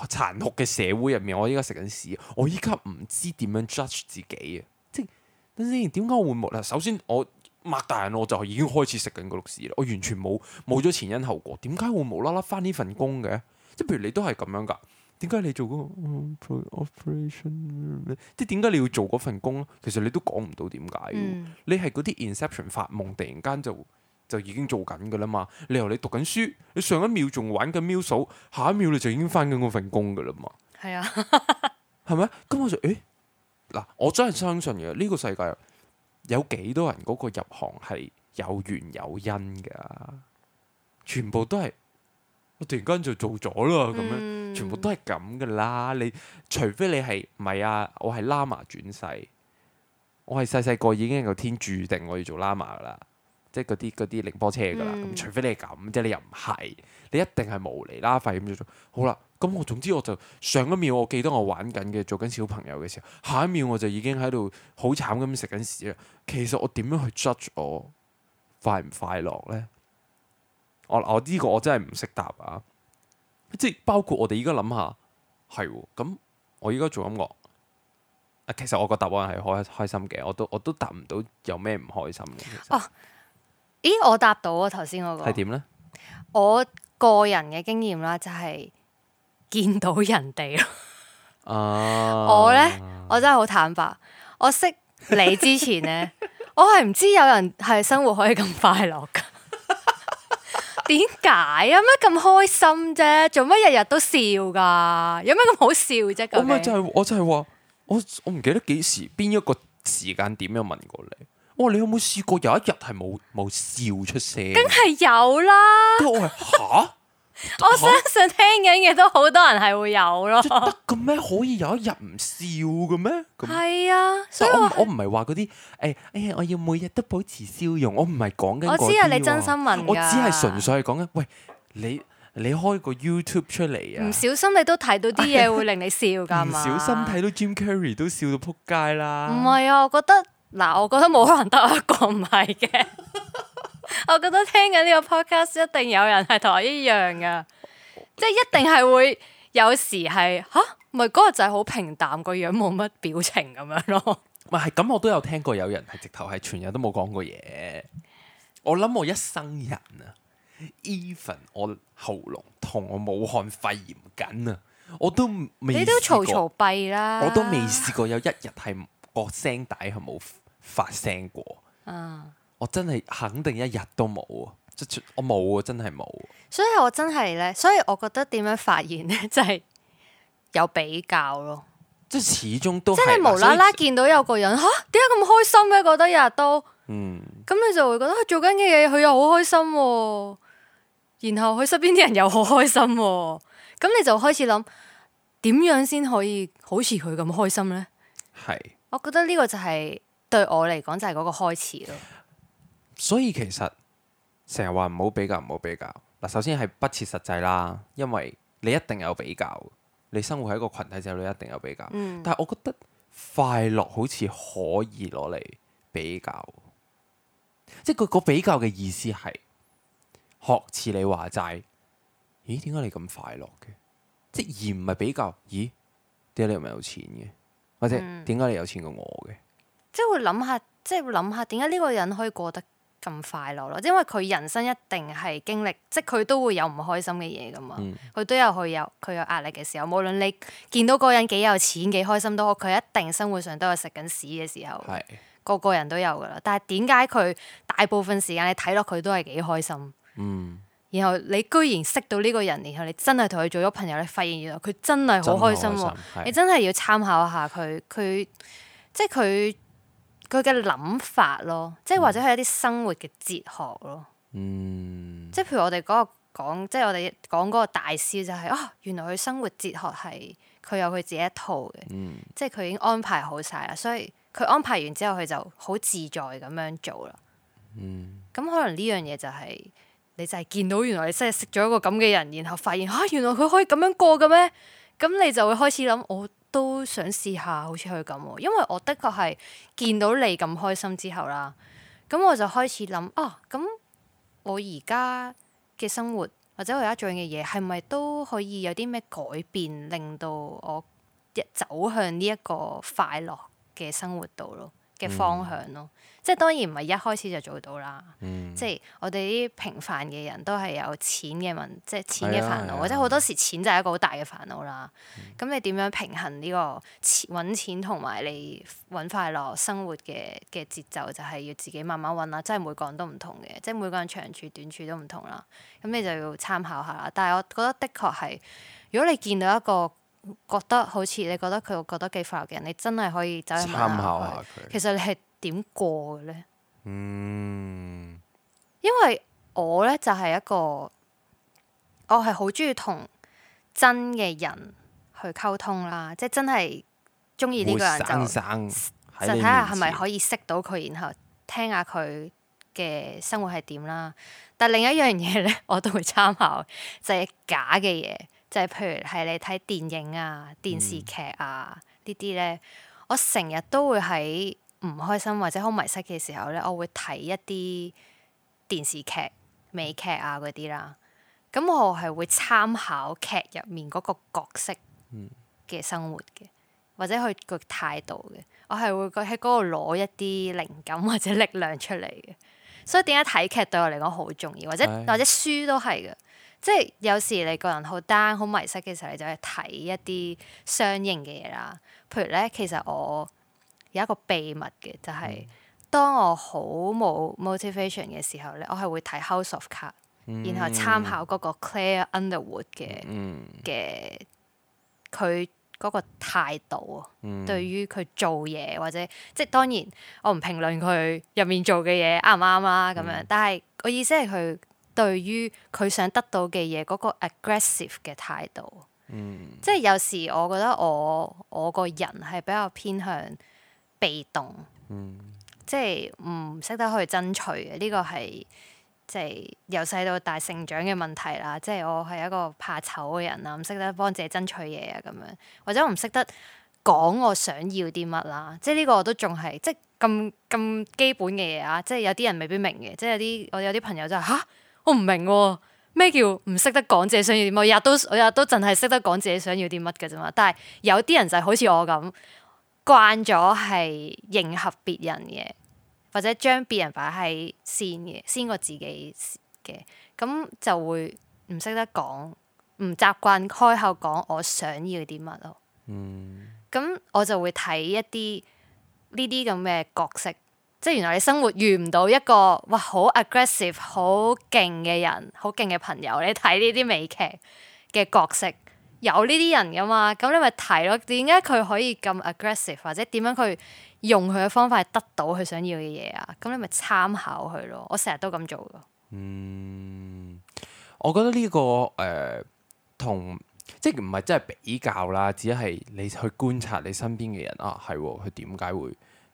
殘酷嘅社會入面，我依家食緊屎，我依家唔知點樣 judge 自己啊！即係等先，點解我會冇啦？首先我擘大眼，我就已經開始食緊嗰碌屎啦，我完全冇咗前因後果，點解會無啦啦返呢份工嘅？即係譬如你都係咁樣㗎。點解你做嗰個 operation？ 即係點解你要做嗰份工咧？其實你都講唔到點解。你係嗰啲 Inception 發夢，突然間就已經做緊㗎啦嘛。你由你讀緊書，你上一秒仲玩緊秒數，下一秒你就已經返緊嗰份工㗎啦嘛。係啊，係咪？咁我就嗱，我真係相信嘅呢個世界有幾多人嗰個入行係有緣有因㗎？全部都係。我突然間就做咗啦，咁樣全部都係咁噶啦。你除非你係唔係啊？我係喇嘛轉世，我係細個已經有天注定我要做喇嘛噶啦，即係嗰啲凌波車噶啦。咁除非你係咁，即係你又唔係，你一定係無厘啦廢咁做。好啦，咁我總之我就上一秒我記得我玩緊嘅做緊小朋友嘅時候，下一秒我就已經喺度好慘咁食緊屎啦。其實我點樣去 judge 我快唔快樂咧？我呢個我真係唔識答啊！即係包括我哋而家諗下，係喎咁，我而家做音樂其實我個答案係開心嘅，我都答唔到有咩唔開心嘅。其實咦，我答到啊！頭先嗰個係點咧？我個人嘅經驗啦，就係見到人哋咯。我咧，我真係好坦白，我識你之前咧，我係唔知有人係生活可以咁快樂噶。點解啊？咩咁開心啫？做乜日日都笑噶？有咩咁好笑啫？我就係話，我唔記得幾時邊一個時間點有問過你。我話你有冇試過有一日係冇笑出聲？梗係有啦。我話嚇。我相信聽緊嘅都好多人係會有咯。得嘅咩？可以有一日唔笑嘅咩？係啊，所以我唔係話嗰啲我要每日都保持笑容。我唔係講緊嗰啲。我知啊，你真心問㗎。我只係純粹係講緊，喂，你開個 YouTube 出嚟啊！唔小心你都睇到啲嘢會令你笑㗎嘛？唔小心睇到 Jim Carrey 都笑到撲街啦！唔係啊，我覺得冇可能得我一個唔係嘅。我覺得聽緊呢個 podcast 一定有人係同我一樣噶，即係一定係會有時係咪嗰個就係好平淡個樣冇乜表情咁樣咯。唔係咁，我都有聽過有人係直頭係全日都冇講過嘢。我諗我一生人啊 ，even 我喉嚨痛，我武漢肺炎緊啊，我都未。你都嘈閉啦，我都未試過有一日係個聲帶係冇發聲過。我真係肯定一日都冇啊！我冇啊，真係冇。所以我真係咧，所以我覺得點樣發現咧，就係有比較咯。即係始終都即係你無啦啦見到有個人點解咁開心嘅？覺得日日都咁你就會覺得佢做緊嘅嘢佢又好開心喎，然後佢身邊啲人又好開心喎，咁你就開始諗點樣先可以好似佢咁開心呢？係。我覺得呢個就係對我嚟講就係嗰個開始咯。所以其實成日話唔好比較，唔好比較。嗱，首先係不切實際啦，因為你一定有比較，你生活喺一個群體之後，你一定有比較。但係我覺得快樂好似可以攞嚟比較，即係個比較嘅意思係學似你話齋，咦？點解你咁快樂嘅？即而唔係比較，咦？點解你唔係有錢嘅？或者點解你有錢過我嘅？即係會諗下，即係會諗下點解呢個人可以過得咁快樂咯？因為佢人生一定係經歷，即係佢都會有唔開心嘅嘢噶嘛。佢都有佢有壓力嘅時候。無論你見到嗰個人幾有錢幾開心都好，佢一定生活上都有食緊屎嘅時候。係個個人都有噶啦。但係點解佢大部分時間你睇落佢都係幾開心？然後你居然識到呢個人，然後你真係同佢做咗朋友，你發現原來佢真係好開心喎！你真係要參考下佢即係佢嘅諗法咯，即係或者係一啲生活嘅哲學咯。即係譬如我哋講，即係我哋講嗰個大師就係原來佢生活哲學係佢有佢自己一套嘅，即係佢已經安排好晒啦，所以佢安排完之後佢就好自在咁樣做啦。咁可能呢樣嘢就係你就係見到原來你真係識咗一個咁嘅人，然後發現原來佢可以咁樣過嘅咩？咁你就會開始諗，我都想試下好似佢咁喎，因為我的確係見到你咁開心之後啦，咁我就開始諗咁我而家嘅生活或者我而家做嘅嘢係咪都可以有啲咩改變，令到我走向呢一個快樂嘅生活度咯嘅方向咯。即係當然唔係一開始就做到啦。即係我哋啲平凡嘅人都係有錢嘅即係錢嘅煩惱，或者好多時錢就係一個好大嘅煩惱啦。咁你點樣平衡呢個揾錢同埋你揾快樂生活嘅節奏，就係要自己慢慢揾啦。即係每個人都唔同嘅，即係每個人長處短處都唔同啦。咁你就要參考下啦。但係我覺得的確係，如果你見到一個覺得好似你覺得佢覺得幾快樂嘅人，你真係可以走去問下參考下佢。其實你係點過嘅咧？因為我咧就係一個，我係好中意同真嘅人去溝通啦，即係真係中意呢個人就睇下係咪可以識到佢，然後聽下佢嘅生活係點啦。但另一樣嘢咧，我都會參考，就係假嘅嘢，就係譬如係你睇電影啊、電視劇啊呢啲咧，我成日都會喺唔開心或者好迷失嘅時候咧，我會睇一啲電視劇、美劇啊嗰啲啦。咁我係會參考劇入面嗰個角色嘅生活嘅，或者佢個態度嘅。我係會喺嗰度攞一啲靈感或者力量出嚟嘅。所以點解睇劇對我嚟講好重要，或者書都係嘅。即係有時你個人好 down、好迷失嘅時候，你就去睇一啲相應嘅嘢啦。譬如咧，其實我有一個秘密嘅，就係當我好冇 motivation 嘅時候咧，我係會睇 House of Cards，然後參考嗰個 Claire Underwood 嘅佢嗰個態度啊，對於佢做嘢或者即係當然我唔評論佢入面做嘅嘢啱唔啱啦咁樣，但係我意思係佢對於佢想得到嘅嘢嗰個 aggressive 嘅態度。即係有時我覺得我個人係比較偏向被動，即係唔識得去爭取嘅。呢個係即係由細到大成長嘅問題啦。即係我係一個怕醜嘅人啦，唔識得幫自己爭取嘢啊咁樣，或者我唔識得講我想要啲乜啦。即係呢個我都仲係即係咁基本嘅嘢啊。即係有啲人未必明嘅，即係我有啲朋友就係我唔明喎。咩叫唔識得講自己想要啲乜？我日日都淨係識得講自己想要啲乜嘅啫嘛。但係有啲人就係好似我咁慣咗係迎合別人嘅，或者將別人擺喺先過自己嘅，咁就會唔識得講，唔習慣開口講我想要啲乜咯。咁我就會睇一啲呢啲咁嘅角色。即係原來你生活遇唔到一個哇好 aggressive 好勁嘅人，好勁嘅朋友，你睇呢啲美劇嘅角色，有呢啲人噶嘛，咁你咪睇咯。點解佢可以咁 aggressive，或者點樣佢用佢嘅方法係得到佢想要嘅嘢啊？咁你咪參考佢咯。我成日都咁做噶。我覺得呢、個同即係唔係真係比較啦，只係你去觀察你身邊嘅人啊，係佢點解會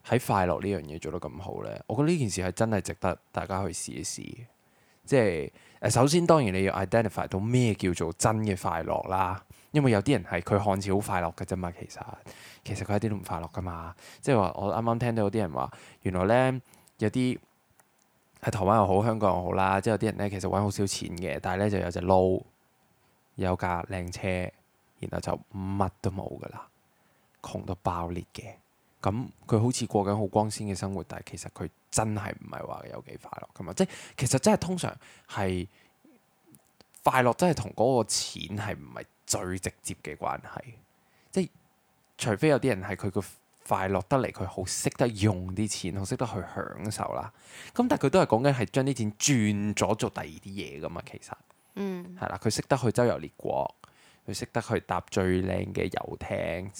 喺快樂呢樣嘢做得咁好呢？我覺得呢件事係真係值得大家去試一試嘅。即係首先當然你要 identify 到咩叫做真嘅快樂啦，因為有啲人係佢看似好快樂嘅啫嘛，其實佢一啲都唔快樂噶嘛。即係話我啱啱聽到有啲人話，原來呢，有啲喺台灣又好，香港又好啦，即係有啲人呢，其實揾好少錢嘅，但係呢就有隻撈，有架靚車，然後就乜都冇噶啦，窮到爆裂嘅。咁佢好似過緊好光鮮嘅生活，但係其實佢真係唔係話有幾快樂噶嘛。即係其實真係通常係快樂真係同嗰個錢係唔係最直接嘅關係。即係除非有啲人係佢個快樂得嚟，佢好識得用啲錢，好識得去享受啦。咁但係佢都係講緊係將啲錢轉咗做第二啲嘢噶嘛。其實係啦，佢識得去周遊列國，佢識得去搭最靚嘅遊艇，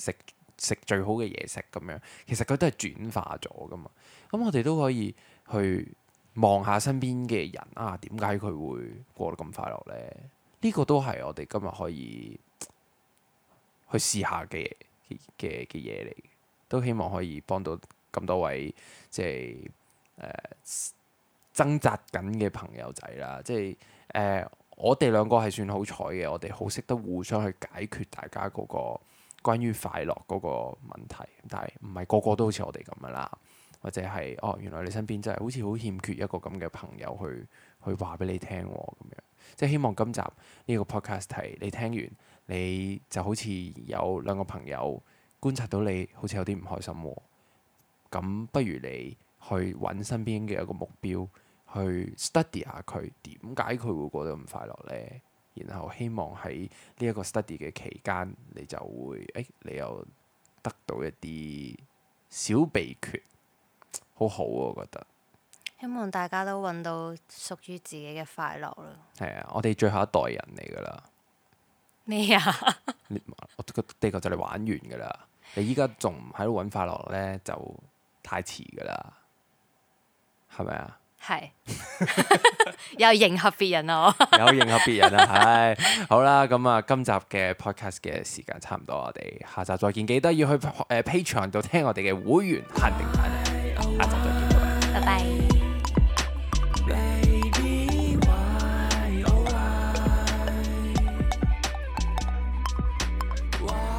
食最好嘅嘢食咁樣，其實佢都係轉化咗噶嘛。咁我哋都可以去望下身邊嘅人啊，點解佢會過得咁快樂呢？呢個都係我哋今日可以去試下嘅嘢嚟，都希望可以幫到咁多位即係掙扎緊嘅朋友仔啦。即係我哋兩個係算好彩嘅，我哋好識得互相去解決大家嗰個關於快樂嗰個問題，但係唔係個個都好似我哋咁樣啦，或者係原來你身邊真係好似好欠缺一個咁嘅朋友去話俾你聽喎咁樣。即係希望今集呢個 podcast 係你聽完，你就好似有兩個朋友觀察到你好似有啲唔開心喎，咁不如你去揾身邊嘅一個目標，去 study 下佢點解佢會過得咁快樂呢？然後希望喺呢一個 study 嘅期間，你就會你又得到一啲小秘訣，好好啊！我覺得希望大家都揾到屬於自己嘅快樂咯。係啊，我哋最後一代人嚟㗎啦。咩啊？我個地球就嚟玩完㗎啦。你依家仲唔喺度揾快樂呢，就太遲㗎啦，係咪啊？係又迎合別人啊！有迎合別人啊，係好啦，咁啊，今集嘅 podcast 嘅時間差唔多，我哋下集再見，記得要去Patreon 度聽我哋嘅會員限定版啊，下集再見，拜拜。Why